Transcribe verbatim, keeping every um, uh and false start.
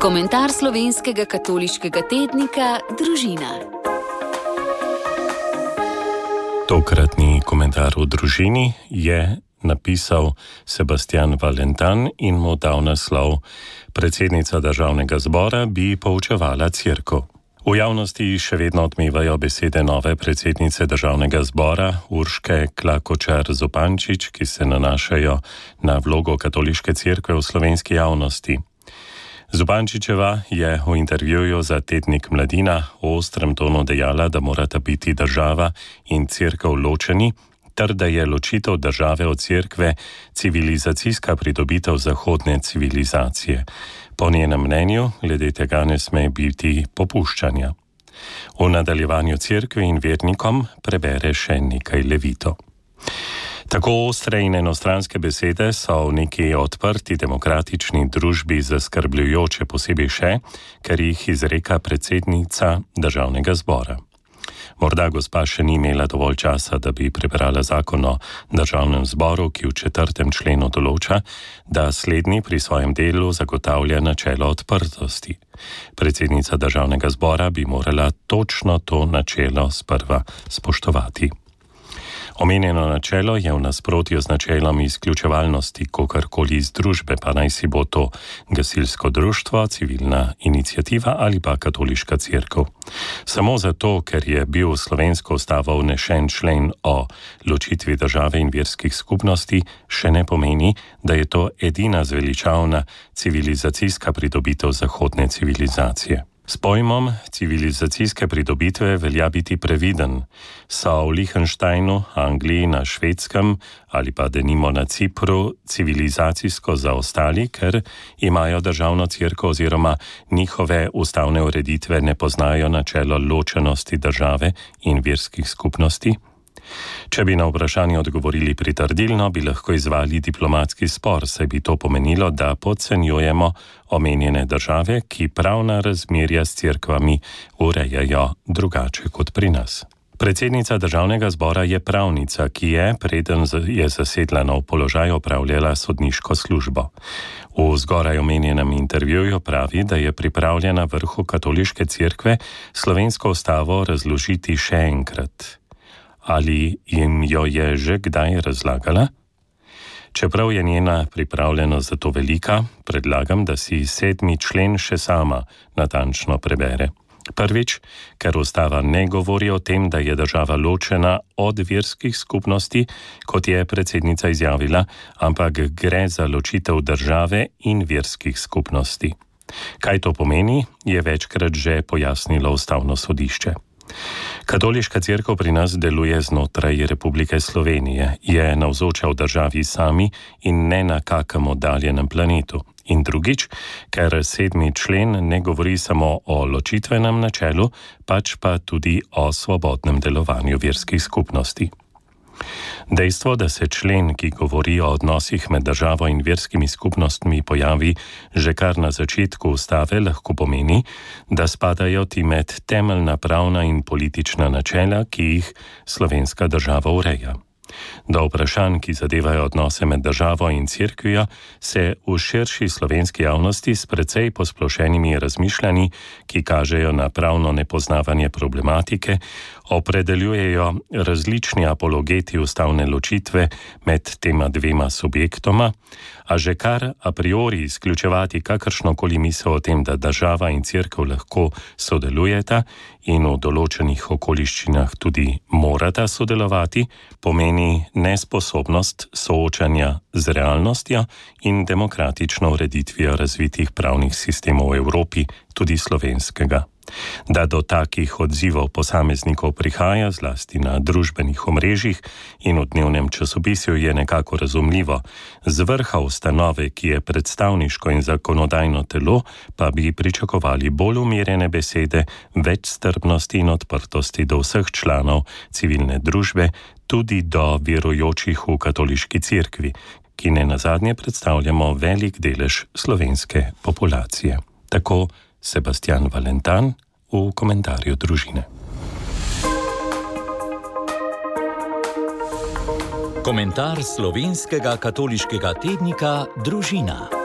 Komentar slovenskega katoliškega tednika Družina. Tokratni komentar v Družini je napisal Sebastian Valentan in mu dal naslov Predsednica državnega zbora bi poučevala cerkev. V javnosti še vedno odmevajo besede nove predsednice državnega zbora Urške Klakočar Zupančič, ki se nanašajo na vlogo katoliške cerkve v slovenski javnosti. Zupančičeva je v intervjuju za tednik Mladina v ostrem tonu dejala, da morata biti država in cerkev ločeni, ter da je ločitev države od cerkve civilizacijska pridobitev zahodne civilizacije. Po njenem mnenju, glede tega ne sme biti popuščanja. V nadaljevanju cerkvi in vernikom prebere še nekaj levito. Tako ostre in enostranske besede so v neki odprti demokratični družbi zaskrbljujoče, posebej še, ker jih izreka predsednica državnega zbora. Morda gospa še ni imela dovolj časa, da bi prebrala zakon o državnem zboru, ki v četrtem členu določa, da slednji pri svojem delu zagotavlja načelo odprtosti. Predsednica državnega zbora bi morala točno to načelo sprva spoštovati. Omenjeno načelo je v nasprotju z načelom izključevalnosti kogarkoli iz družbe, pa naj si bo to gasilsko društvo, civilna iniciativa ali pa katoliška cerkev. Samo zato, ker je bil v slovensko ustavo vnešen člen o ločitvi države in verskih skupnosti, še ne pomeni, da je to edina zveličavna civilizacijska pridobitev zahodne civilizacije. S pojmom civilizacijske pridobitve velja biti previden. So v Liechtensteinu, Angliji, na Švedskem ali pa denimo na Cipru civilizacijsko zaostali, ker imajo državno cerkev oziroma njihove ustavne ureditve ne poznajo načelo ločenosti države in verskih skupnosti? Če bi na vprašanje odgovorili pritrdilno, bi lahko izvali diplomatski spor, saj bi to pomenilo, da podcenjujemo omenjene države, ki pravna razmerja s cerkvami urejajo drugače kot pri nas. Predsednica državnega zbora je pravnica, ki je, preden je zasedla nov položaj, opravljala sodniško službo. V zgoraj omenjenem intervjuju pravi, da je pripravljena vrhu katoliške cerkve slovensko ustavo razložiti še enkrat. Ali jim jo je že kdaj razlagala? Čeprav je njena pripravljenost za to velika, predlagam, da si sedmi člen še sama natančno prebere. Prvič, ker ustava ne govori o tem, da je država ločena od verskih skupnosti, kot je predsednica izjavila, ampak gre za ločitev države in verskih skupnosti. Kaj to pomeni, je večkrat že pojasnilo ustavno sodišče. Katoliška cerkev pri nas deluje znotraj Republike Slovenije, je navzoča v državi sami in ne na kakem oddaljenem planetu. In drugič, ker sedmi člen ne govori samo o ločitvenem načelu, pač pa tudi o svobodnem delovanju verskih skupnosti. Dejstvo, da se člen, ki govori o odnosih med državo in verskimi skupnostmi, pojavi že kar na začetku ustave, lahko pomeni, da spadajo ti med temeljna pravna in politična načela, ki jih slovenska država ureja. Do vprašanj, ki zadevajo odnose med državo in cerkvijo, se v širši slovenski javnosti s precej posplošenimi razmišljanji, ki kažejo na pravno nepoznavanje problematike, opredeljujejo različni apologeti ustavne ločitve med tema dvema subjektoma, a že kar a priori izključevati kakršnokoli misel o tem, da država in cerkev lahko sodelujeta in v določenih okoliščinah tudi morata sodelovati, pomeni nesposobnost soočanja z realnostjo in demokratično ureditvijo razvitih pravnih sistemov v Evropi, tudi slovenskega. Da do takih odzivov posameznikov prihaja zlasti na družbenih omrežjih in v dnevnem časopisju, je nekako razumljivo. Z vrha ustanove, ki je predstavniško in zakonodajno telo, pa bi pričakovali bolj umirjene besede, več strpnosti in odprtosti do vseh članov civilne družbe, tudi do verujočih v katoliški cerkvi, ki ne nazadnje predstavljamo velik delež slovenske populacije. Tako Sebastian Valentan v komentarju Družine. Komentar slovenskega katoliškega tednika Družina.